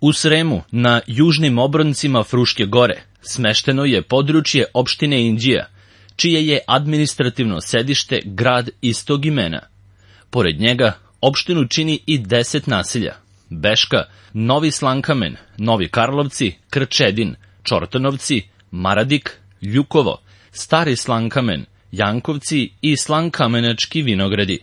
U Sremu, na južnim obroncima Fruške gore, smešteno je područje opštine Inđija, čije je administrativno sedište grad istog imena. Pored njega, opštinu čini i 10 naselja: Beška, Novi Slankamen, Novi Karlovci, Krčedin, Čortanovci, Maradik, Ljukovo, Stari Slankamen, Jankovci i Slankamenački vinogradi.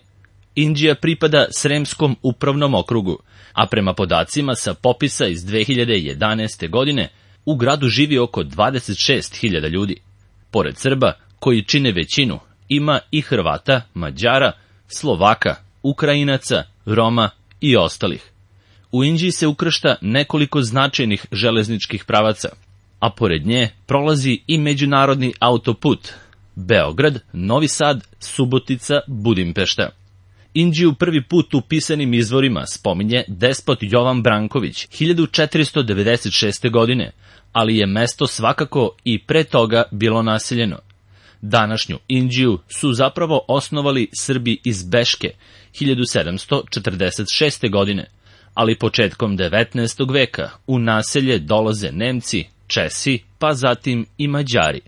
Inđija pripada Sremskom upravnom okrugu, a prema podacima sa popisa iz 2011. godine, u gradu živi oko 26.000 ljudi. Pored Srba, koji čine većinu, ima i Hrvata, Mađara, Slovaka, Ukrajinaca, Roma i ostalih. U Inđiji se ukršta nekoliko značajnih železničkih pravaca, a pored nje prolazi i međunarodni autoput Beograd, Novi Sad, Subotica, Budimpešta. Inđiju prvi put u pisanim izvorima spominje despot Jovan Branković 1496. godine, ali je mesto svakako i pre toga bilo naseljeno. Današnju Inđiju su zapravo osnovali Srbi iz Beške 1746. godine, ali početkom 19. veka u naselje dolaze Nemci, Česi, pa zatim i Mađari.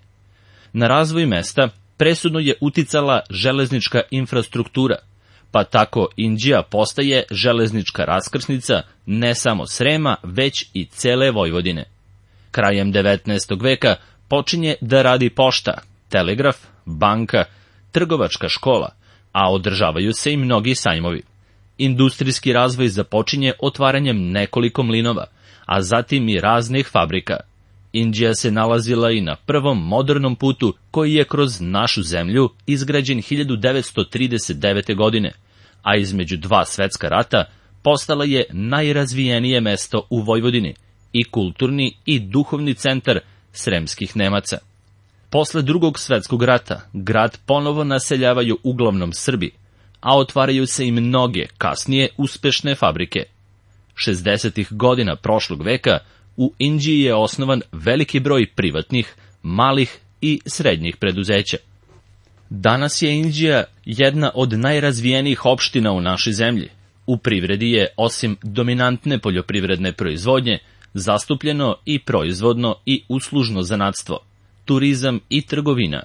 Na razvoj mesta presudno je uticala železnička infrastruktura, pa tako Inđija postaje železnička raskrsnica ne samo Srema, već i cele Vojvodine. Krajem 19. veka počinje da radi pošta, telegraf, banka, trgovačka škola, a održavaju se i mnogi sajmovi. Industrijski razvoj započinje otvaranjem nekoliko mlinova, a zatim i raznih fabrika. Inđija se nalazila i na prvom modernom putu koji je kroz našu zemlju izgrađen 1939. godine, a između dva svetska rata postala je najrazvijenije mesto u Vojvodini i kulturni i duhovni centar sremskih Nemaca. Posle Drugog svetskog rata grad ponovo naseljavaju uglavnom Srbi, a otvaraju se i mnoge kasnije uspešne fabrike. 60. godina prošlog veka u Inđiji je osnovan veliki broj privatnih, malih i srednjih preduzeća. Danas je Inđija jedna od najrazvijenijih opština u našoj zemlji. U privredi je, osim dominantne poljoprivredne proizvodnje, zastupljeno i proizvodno i uslužno zanatstvo, turizam i trgovina.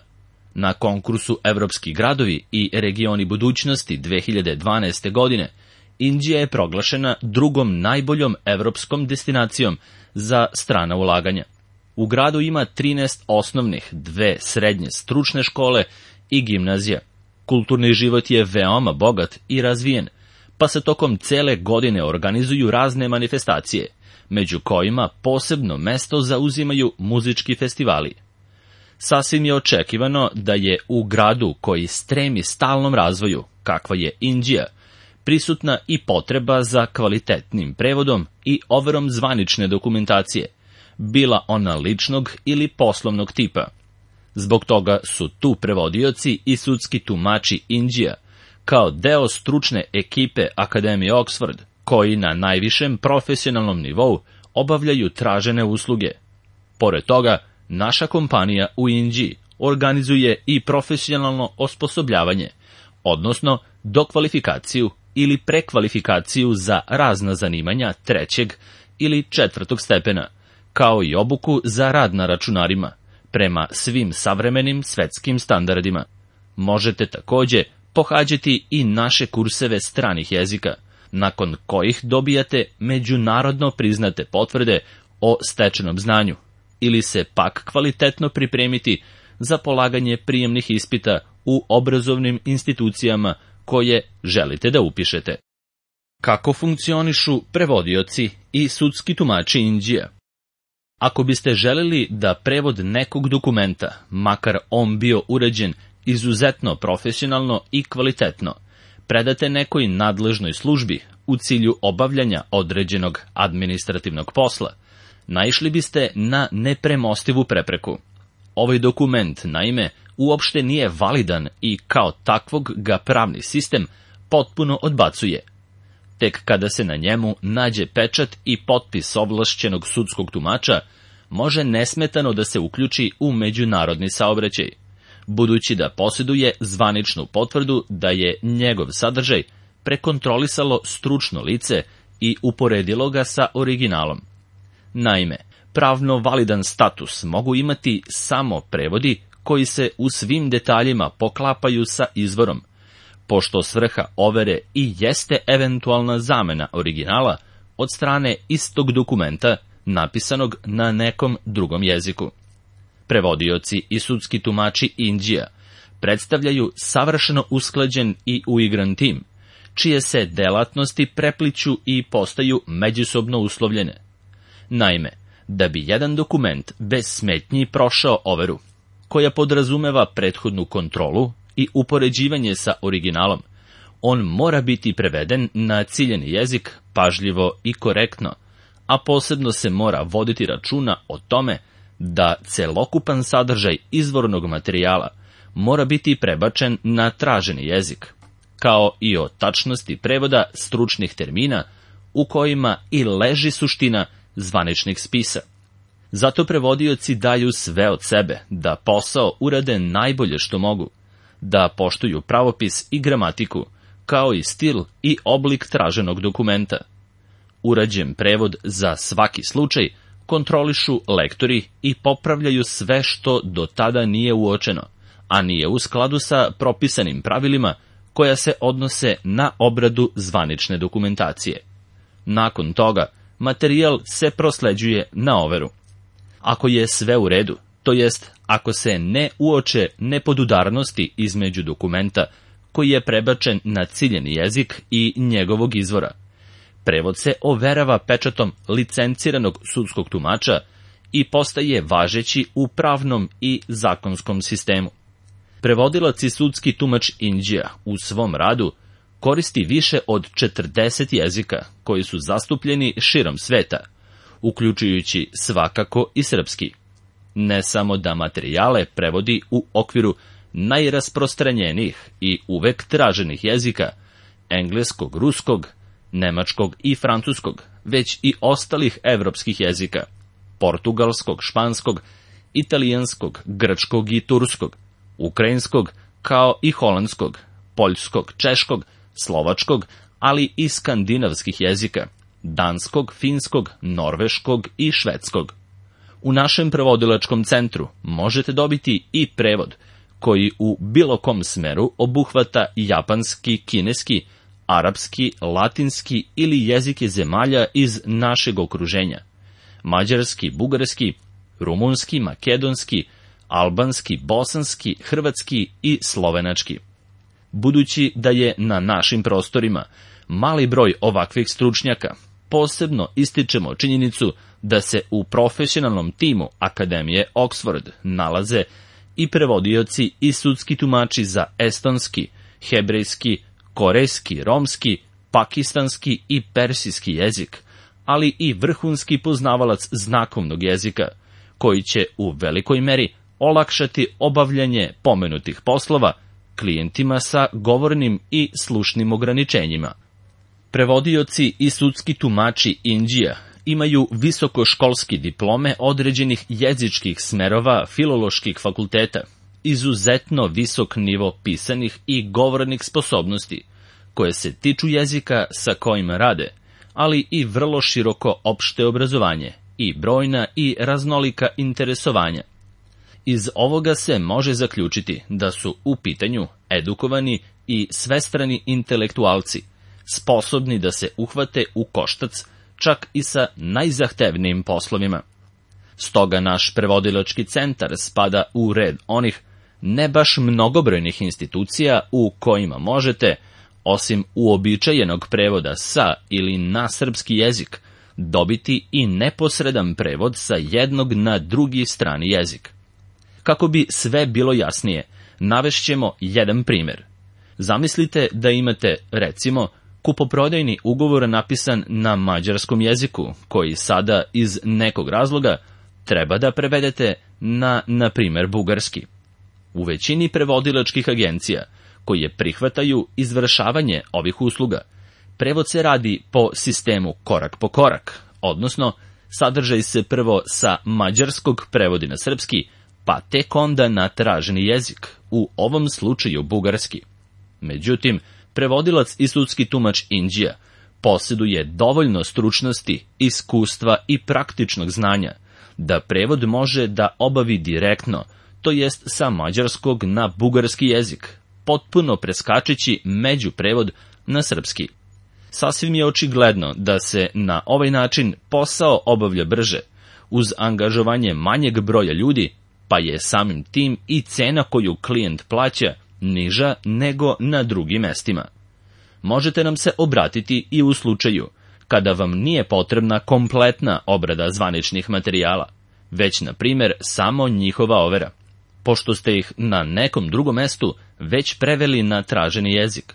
Na konkursu Evropski gradovi i regioni budućnosti 2012. godine Inđija je proglašena drugom najboljom evropskom destinacijom za strana ulaganja. U gradu ima 13 osnovnih, 2 srednje stručne škole i gimnazija. Kulturni život je veoma bogat i razvijen, pa se tokom cele godine organizuju razne manifestacije, među kojima posebno mesto zauzimaju muzički festivali. Sasvim je očekivano da je u gradu koji stremi stalnom razvoju, kakva je Inđija, prisutna i potreba za kvalitetnim prevodom i overom zvanične dokumentacije, bila ona ličnog ili poslovnog tipa. Zbog toga su tu prevodioci i sudski tumači Inđija, kao deo stručne ekipe Akademije Oxford, koji na najvišem profesionalnom nivou obavljaju tražene usluge. Pored toga, naša kompanija u Inđiji organizuje i profesionalno osposobljavanje, odnosno dokvalifikaciju ili prekvalifikaciju za razna zanimanja 3. ili 4. stepena, kao i obuku za rad na računarima, prema svim savremenim svetskim standardima. Možete takođe pohađati i naše kurseve stranih jezika, nakon kojih dobijate međunarodno priznate potvrde o stečenom znanju, ili se pak kvalitetno pripremiti za polaganje prijemnih ispita u obrazovnim institucijama koje želite da upišete. Kako funkcionišu prevodioci i sudski tumači Inđija? Ako biste želeli da prevod nekog dokumenta, makar on bio urađen izuzetno profesionalno i kvalitetno, predate nekoj nadležnoj službi u cilju obavljanja određenog administrativnog posla, naišli biste na nepremostivu prepreku. Ovaj dokument, naime, uopšte nije validan i kao takvog ga pravni sistem potpuno odbacuje. Tek kada se na njemu nađe pečat i potpis ovlašćenog sudskog tumača, može nesmetano da se uključi u međunarodni saobraćaj, budući da posjeduje zvaničnu potvrdu da je njegov sadržaj prekontrolisalo stručno lice i uporedilo ga sa originalom. Naime, pravno validan status mogu imati samo prevodi koji se u svim detaljima poklapaju sa izvorom, pošto svrha overe i jeste eventualna zamena originala od strane istog dokumenta napisanog na nekom drugom jeziku. Prevodioci i sudski tumači Indija predstavljaju savršeno usklađen i uigran tim, čije se delatnosti prepliću i postaju međusobno uslovljene. Naime, da bi jedan dokument bez smetnji prošao overu, koja podrazumeva prethodnu kontrolu i upoređivanje sa originalom, on mora biti preveden na ciljeni jezik pažljivo i korektno, a posebno se mora voditi računa o tome da celokupan sadržaj izvornog materijala mora biti prebačen na traženi jezik, kao i o tačnosti prevoda stručnih termina u kojima i leži suština zvaničnih spisa. Zato prevodioci daju sve od sebe da posao urade najbolje što mogu, da poštuju pravopis i gramatiku, kao i stil i oblik traženog dokumenta. Urađen prevod za svaki slučaj kontrolišu lektori i popravljaju sve što do tada nije uočeno, a nije u skladu sa propisanim pravilima koja se odnose na obradu zvanične dokumentacije. Nakon toga, materijal se prosleđuje na overu. Ako je sve u redu, to jest ako se ne uoče nepodudarnosti između dokumenta koji je prebačen na ciljeni jezik i njegovog izvora, prevod se overava pečatom licenciranog sudskog tumača i postaje važeći u pravnom i zakonskom sistemu. Prevodilac i sudski tumač Indija u svom radu koristi više od 40 jezika koji su zastupljeni širom sveta, uključujući svakako i srpski. Ne samo da materijale prevodi u okviru najrasprostranjenijih i uvek traženih jezika, engleskog, ruskog, nemačkog i francuskog, već i ostalih evropskih jezika, portugalskog, španskog, italijanskog, grčkog i turskog, ukrajinskog, kao i holandskog, poljskog, češkog, slovačkog, ali i skandinavskih jezika, danskog, finskog, norveškog i švedskog. U našem prevodilačkom centru možete dobiti i prevod koji u bilo kom smeru obuhvata japanski, kineski, arapski, latinski ili jezike zemalja iz našeg okruženja, mađarski, bugarski, rumunski, makedonski, albanski, bosanski, hrvatski i slovenački. Budući da je na našim prostorima mali broj ovakvih stručnjaka, posebno ističemo činjenicu da se u profesionalnom timu Akademije Oxford nalaze i prevodioci i sudski tumači za estonski, hebrejski, korejski, romski, pakistanski i persijski jezik, ali i vrhunski poznavalac znakovnog jezika, koji će u velikoj meri olakšati obavljanje pomenutih poslova klijentima sa govornim i slušnim ograničenjima. Prevodioci i sudski tumači Indija imaju visokoškolski diplome određenih jezičkih smerova filoloških fakulteta, izuzetno visok nivo pisanih i govornih sposobnosti, koje se tiču jezika sa kojima rade, ali i vrlo široko opšte obrazovanje i brojna i raznolika interesovanja. Iz ovoga se može zaključiti da su u pitanju edukovani i svestrani intelektualci, sposobni da se uhvate u koštac čak i sa najzahtevnijim poslovima. Stoga naš prevodilački centar spada u red onih ne baš mnogobrojnih institucija u kojima možete, osim uobičajenog prevoda sa ili na srpski jezik, dobiti i neposredan prevod sa jednog na drugi strani jezik. Kako bi sve bilo jasnije, navešćemo jedan primjer. Zamislite da imate, recimo, kupoprodajni ugovor napisan na mađarskom jeziku, koji sada iz nekog razloga treba da prevedete na primjer, bugarski. U većini prevodilačkih agencija, koje prihvataju izvršavanje ovih usluga, prevod se radi po sistemu korak po korak, odnosno sadržaj se prvo sa mađarskog prevodi na srpski, pa tek onda na traženi jezik, u ovom slučaju bugarski. Međutim, prevodilac i sudski tumač Indija posjeduje dovoljno stručnosti, iskustva i praktičnog znanja, da prevod može da obavi direktno, to jest sa mađarskog na bugarski jezik, potpuno preskačeći međuprevod na srpski. Sasvim je očigledno da se na ovaj način posao obavlja brže, uz angažovanje manjeg broja ljudi, pa je samim tim i cena koju klijent plaća niža nego na drugim mestima. Možete nam se obratiti i u slučaju kada vam nije potrebna kompletna obrada zvaničnih materijala, već, na primjer, samo njihova overa, pošto ste ih na nekom drugom mestu već preveli na traženi jezik.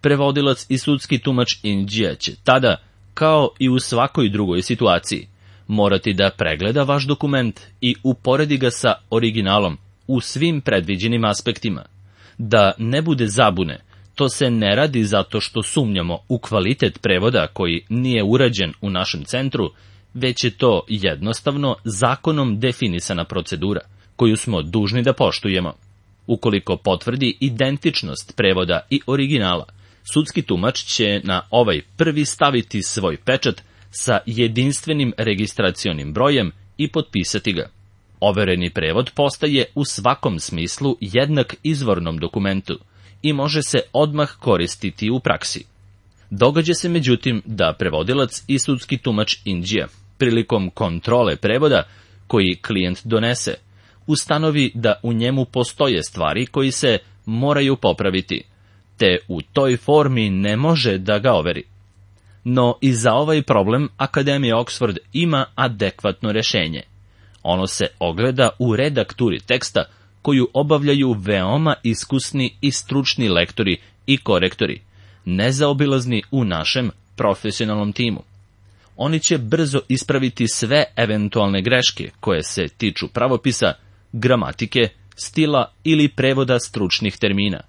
Prevodilac i sudski tumač Indija će tada, kao i u svakoj drugoj situaciji, morati da pregleda vaš dokument i uporedi ga sa originalom u svim predviđenim aspektima. Da ne bude zabune, to se ne radi zato što sumnjamo u kvalitet prevoda koji nije urađen u našem centru, već je to jednostavno zakonom definisana procedura, koju smo dužni da poštujemo. Ukoliko potvrdi identičnost prevoda i originala, sudski tumač će na ovaj prvi staviti svoj pečat sa jedinstvenim registracionim brojem i potpisati ga. Overeni prevod postaje u svakom smislu jednak izvornom dokumentu i može se odmah koristiti u praksi. Događa se međutim da prevodilac i sudski tumač Indija prilikom kontrole prevoda koji klijent donese ustanovi da u njemu postoje stvari koji se moraju popraviti, te u toj formi ne može da ga overi. No i za ovaj problem Akademija Oxford ima adekvatno rešenje. Ono se ogleda u redakturi teksta koju obavljaju veoma iskusni i stručni lektori i korektori, nezaobilazni u našem profesionalnom timu. Oni će brzo ispraviti sve eventualne greške koje se tiču pravopisa, gramatike, stila ili prevoda stručnih termina,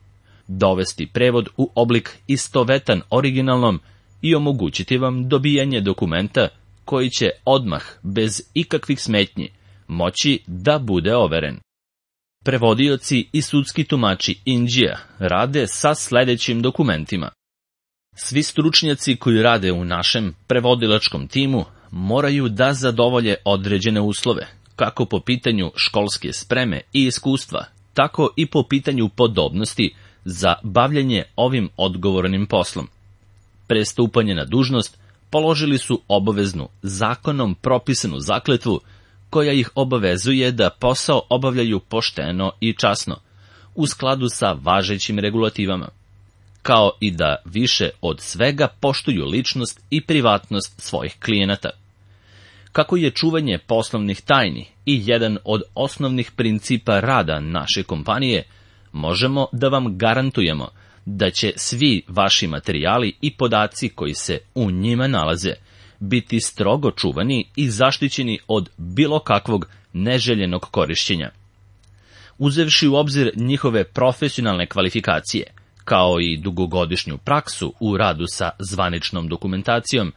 dovesti prevod u oblik istovetan originalnom i omogućiti vam dobijanje dokumenta koji će odmah, bez ikakvih smetnji, moći da bude overen. Prevodioci i sudski tumači Indija rade sa sledećim dokumentima. Svi stručnjaci koji rade u našem prevodilačkom timu moraju da zadovolje određene uslove, kako po pitanju školske spreme i iskustva, tako i po pitanju podobnosti za bavljanje ovim odgovornim poslom. Pre stupanja na dužnost položili su obaveznu, zakonom propisanu zakletvu koja ih obavezuje da posao obavljaju pošteno i časno, u skladu sa važećim regulativama, kao i da više od svega poštuju ličnost i privatnost svojih klijenata. Kako je čuvanje poslovnih tajni i jedan od osnovnih principa rada naše kompanije, možemo da vam garantujemo da će svi vaši materijali i podaci koji se u njima nalaze biti strogo čuvani i zaštićeni od bilo kakvog neželjenog korišćenja. Uzevši u obzir njihove profesionalne kvalifikacije, kao i dugogodišnju praksu u radu sa zvaničnom dokumentacijom,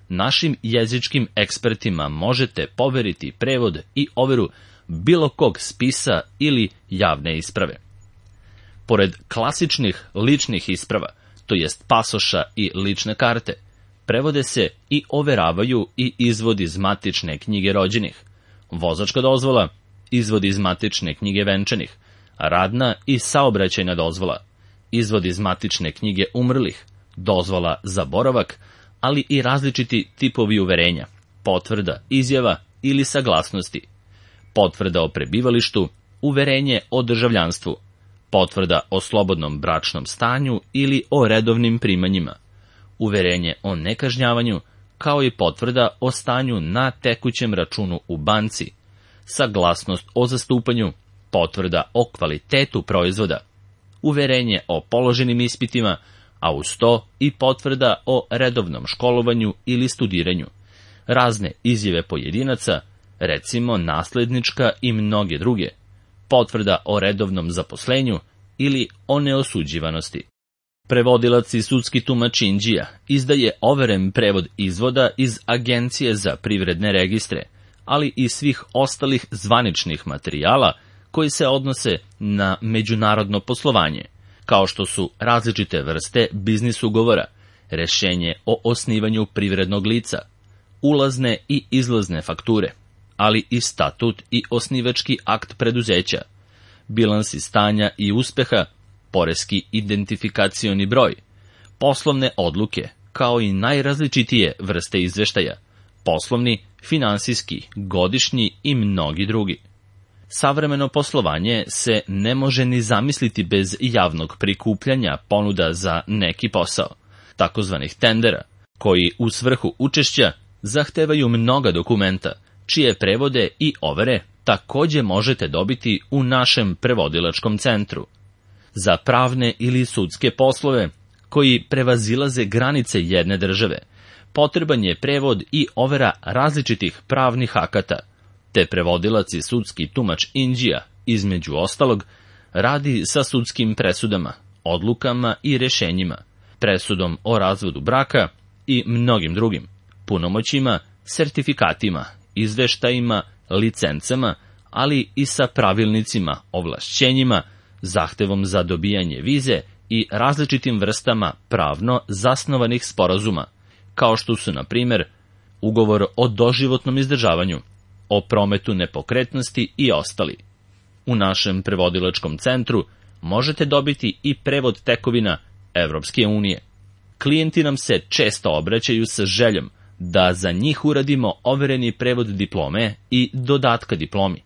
našim jezičkim ekspertima možete poveriti prevod i overu bilo kog spisa ili javne isprave. Pored klasičnih ličnih isprava, to jest pasoša i lične karte, prevode se i overavaju i izvodi iz matične knjige rođenih, vozačka dozvola, izvodi iz matične knjige venčanih, radna i saobraćajna dozvola, izvodi iz matične knjige umrlih, dozvola za boravak, ali i različiti tipovi uverenja, potvrda, izjava ili saglasnosti, potvrda o prebivalištu, uverenje o državljanstvu, potvrda o slobodnom bračnom stanju ili o redovnim primanjima, uverenje o nekažnjavanju, kao i potvrda o stanju na tekućem računu u banci, saglasnost o zastupanju, potvrda o kvalitetu proizvoda, uverenje o položenim ispitima, a uz to i potvrda o redovnom školovanju ili studiranju, razne izjave pojedinaca, recimo naslednička i mnoge druge, potvrda o redovnom zaposlenju ili o neosuđivanosti. Prevodilac i sudski tumač Indija izdaje overen prevod izvoda iz Agencije za privredne registre, ali i svih ostalih zvaničnih materijala koji se odnose na međunarodno poslovanje, kao što su različite vrste biznis ugovora, rešenje o osnivanju privrednog lica, ulazne i izlazne fakture, ali i statut i osnivački akt preduzeća, bilansi stanja i uspeha, poreski identifikacioni broj, poslovne odluke, kao i najrazličitije vrste izveštaja, poslovni, finansijski, godišnji i mnogi drugi. Savremeno poslovanje se ne može ni zamisliti bez javnog prikupljanja ponuda za neki posao, takozvanih tendera, koji u svrhu učešća zahtevaju mnoga dokumenta, čije prevode i overe takođe možete dobiti u našem prevodilačkom centru. Za pravne ili sudske poslove, koji prevazilaze granice jedne države, potreban je prevod i overa različitih pravnih akata, te prevodilac i sudski tumač Indija, između ostalog, radi sa sudskim presudama, odlukama i rešenjima, presudom o razvodu braka i mnogim drugim, punomoćima, sertifikatima, izveštajima, licencama, ali i sa pravilnicima, ovlašćenjima, zahtevom za dobijanje vize i različitim vrstama pravno zasnovanih sporazuma, kao što su, na primjer, ugovor o doživotnom izdržavanju, o prometu nepokretnosti i ostali. U našem prevodilačkom centru možete dobiti i prevod tekovina Evropske unije. Klijenti nam se često obraćaju sa željom da za njih uradimo overeni prevod diplome i dodatka diplomi,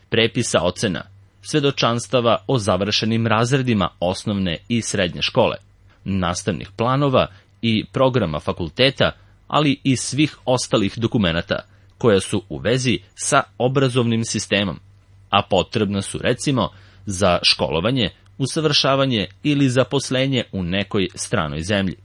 prepisa ocena, svedočanstava o završenim razredima osnovne i srednje škole, nastavnih planova i programa fakulteta, ali i svih ostalih dokumenata koja su u vezi sa obrazovnim sistemom, a potrebna su recimo za školovanje, usavršavanje ili zaposlenje u nekoj stranoj zemlji.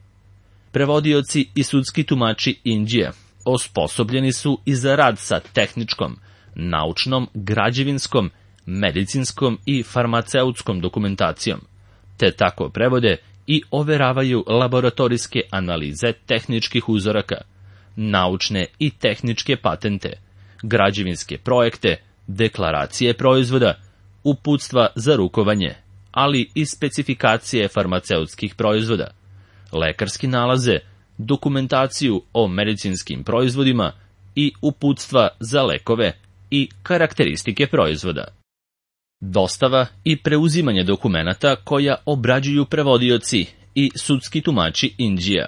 Prevodioci i sudski tumači Indije osposobljeni su i za rad sa tehničkom, naučnom, građevinskom, medicinskom i farmaceutskom dokumentacijom, te tako prevode i overavaju laboratorijske analize tehničkih uzoraka, naučne i tehničke patente, građevinske projekte, deklaracije proizvoda, uputstva za rukovanje, ali i specifikacije farmaceutskih proizvoda, lekarski nalaze, dokumentaciju o medicinskim proizvodima i uputstva za lekove i karakteristike proizvoda. Dostava i preuzimanje dokumenata koja obrađuju prevodioci i sudski tumači Indija.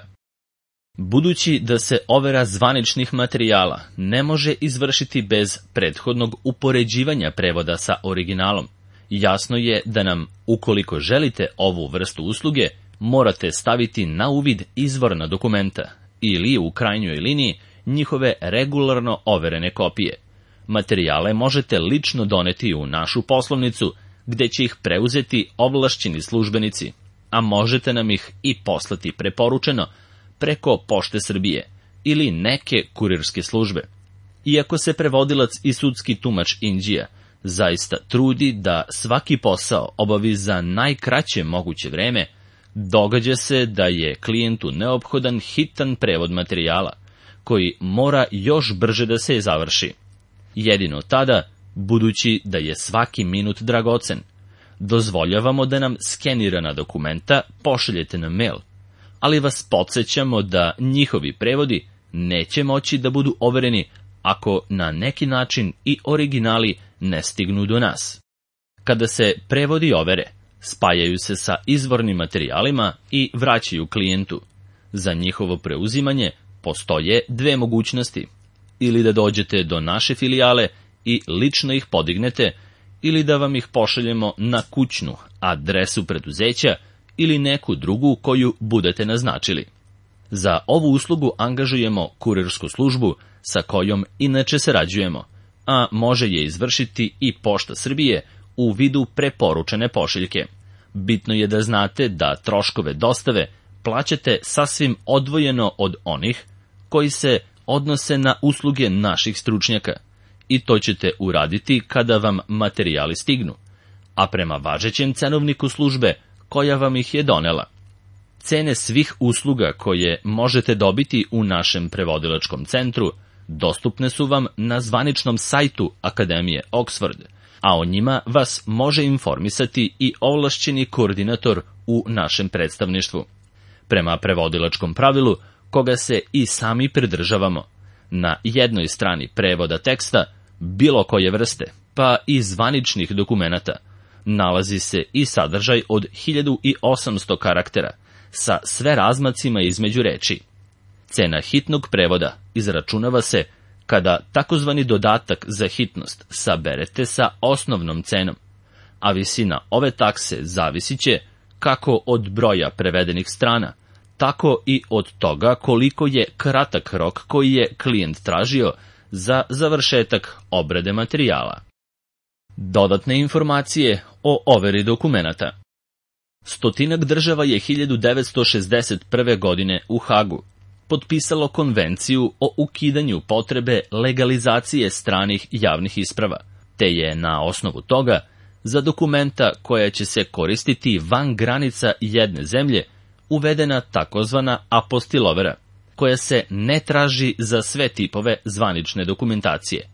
Budući da se overa zvaničnih materijala ne može izvršiti bez prethodnog upoređivanja prevoda sa originalom, jasno je da nam, ukoliko želite ovu vrstu usluge, morate staviti na uvid izvorna dokumenta ili, u krajnjoj liniji, njihove regularno overene kopije. Materijale možete lično doneti u našu poslovnicu, gde će ih preuzeti ovlašćeni službenici, a možete nam ih i poslati preporučeno preko Pošte Srbije ili neke kurirske službe. Iako se prevodilac i sudski tumač Indija zaista trudi da svaki posao obavi za najkraće moguće vreme, događa se da je klijentu neophodan hitan prevod materijala, koji mora još brže da se završi. Jedino tada, budući da je svaki minut dragocen, dozvoljavamo da nam skenirana dokumenta pošaljete na mail, ali vas podsjećamo da njihovi prevodi neće moći da budu overeni ako na neki način i originali ne stignu do nas. Kada se prevodi overe, spajaju se sa izvornim materijalima i vraćaju klijentu. Za njihovo preuzimanje postoje dve mogućnosti: ili da dođete do naše filijale i lično ih podignete, ili da vam ih pošaljemo na kućnu adresu preduzeća ili neku drugu koju budete naznačili. Za ovu uslugu angažujemo kurirsku službu sa kojom inače sarađujemo, a može je izvršiti i Pošta Srbije u vidu preporučene pošiljke. Bitno je da znate da troškove dostave plaćate sasvim odvojeno od onih koji se odnose na usluge naših stručnjaka, i to ćete uraditi kada vam materijali stignu, a prema važećem cenovniku službe koja vam ih je donela. Cene svih usluga koje možete dobiti u našem prevodilačkom centru dostupne su vam na zvaničnom sajtu Akademije Oxford, a o njima vas može informisati i ovlašćeni koordinator u našem predstavništvu. Prema prevodilačkom pravilu, koga se i sami pridržavamo, na jednoj strani prevoda teksta, bilo koje vrste, pa i zvaničnih dokumenata, nalazi se i sadržaj od 1800 karaktera, sa sve razmacima između reči. Cena hitnog prevoda izračunava se kada takozvani dodatak za hitnost saberete sa osnovnom cenom, a visina ove takse zavisit će kako od broja prevedenih strana, tako i od toga koliko je kratak rok koji je klijent tražio za završetak obrade materijala. Dodatne informacije o overi dokumenata. 100 država je 1961. godine u Hagu potpisalo konvenciju o ukidanju potrebe legalizacije stranih javnih isprava, te je na osnovu toga za dokumenta koja će se koristiti van granica jedne zemlje uvedena takozvana apostilovera, koja se ne traži za sve tipove zvanične dokumentacije,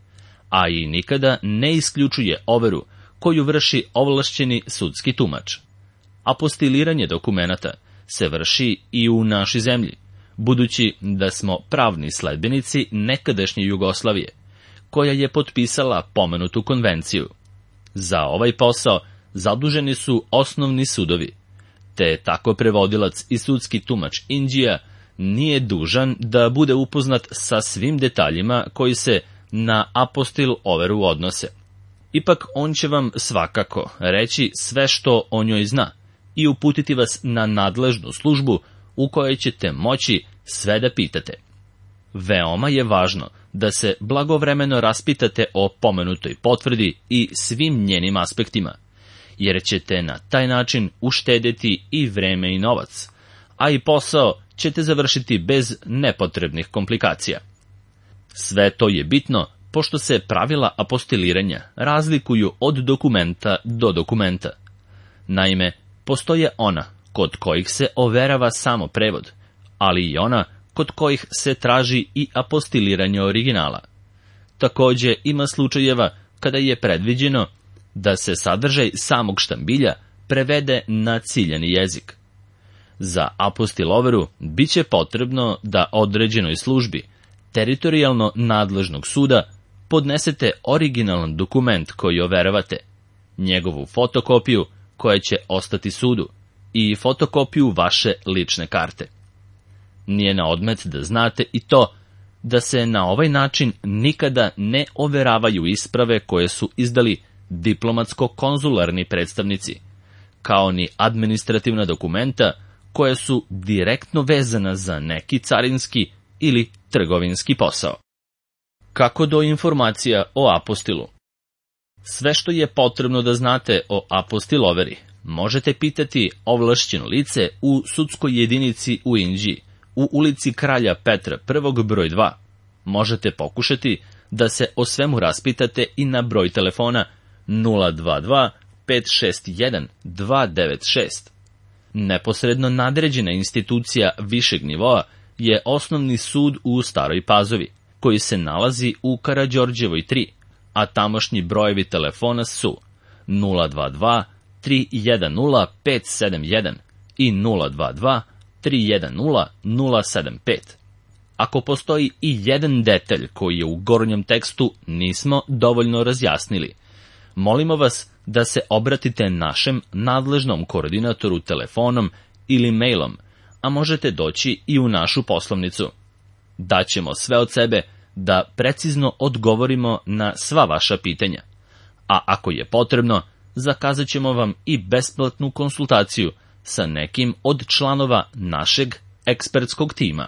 a i nikada ne isključuje overu koju vrši ovlašćeni sudski tumač. Apostiliranje dokumenata se vrši i u našoj zemlji, budući da smo pravni sledbenici nekadašnje Jugoslavije, koja je potpisala pomenutu konvenciju. Za ovaj posao zaduženi su osnovni sudovi, te tako prevodilac i sudski tumač Inđija nije dužan da bude upoznat sa svim detaljima koji se na apostil overu odnose. Ipak on će vam svakako reći sve što o njoj zna i uputiti vas na nadležnu službu u kojoj ćete moći sve da pitate. Veoma je važno da se blagovremeno raspitate o pomenutoj potvrdi i svim njenim aspektima, jer ćete na taj način uštedeti i vreme i novac, a i posao ćete završiti bez nepotrebnih komplikacija. Sve to je bitno, pošto se pravila apostiliranja razlikuju od dokumenta do dokumenta. Naime, postoje ona kod kojih se overava samo prevod, ali i ona kod kojih se traži i apostiliranje originala. Takođe ima slučajeva kada je predviđeno da se sadržaj samog štambilja prevede na ciljani jezik. Za apostiloveru biće potrebno da određenoj službi teritorijalno nadležnog suda podnesete originalan dokument koji overavate, njegovu fotokopiju koja će ostati sudu i fotokopiju vaše lične karte. Nije na odmet da znate i to da se na ovaj način nikada ne overavaju isprave koje su izdali diplomatsko-konzularni predstavnici, kao ni administrativna dokumenta koja su direktno vezana za neki carinski ili trgovinski posao. Kako do informacija o apostilu? Sve što je potrebno da znate o apostiloveri možete pitati ovlašćeno lice u sudskoj jedinici u Inđiji, u ulici Kralja Petra I, broj 2. Možete pokušati da se o svemu raspitate i na broj telefona 022 561 296. Neposredno nadređena institucija višeg nivoa je Osnovni sud u Staroj Pazovi, koji se nalazi u Karađorđevoj 3, a tamošnji brojevi telefona su 022 310 571 i 022 310 075. Ako postoji i jedan detalj koji je u gornjem tekstu nismo dovoljno razjasnili, molimo vas da se obratite našem nadležnom koordinatoru telefonom ili mailom, a možete doći i u našu poslovnicu. Daćemo sve od sebe da precizno odgovorimo na sva vaša pitanja, a ako je potrebno, zakazat ćemo vam i besplatnu konsultaciju sa nekim od članova našeg ekspertskog tima.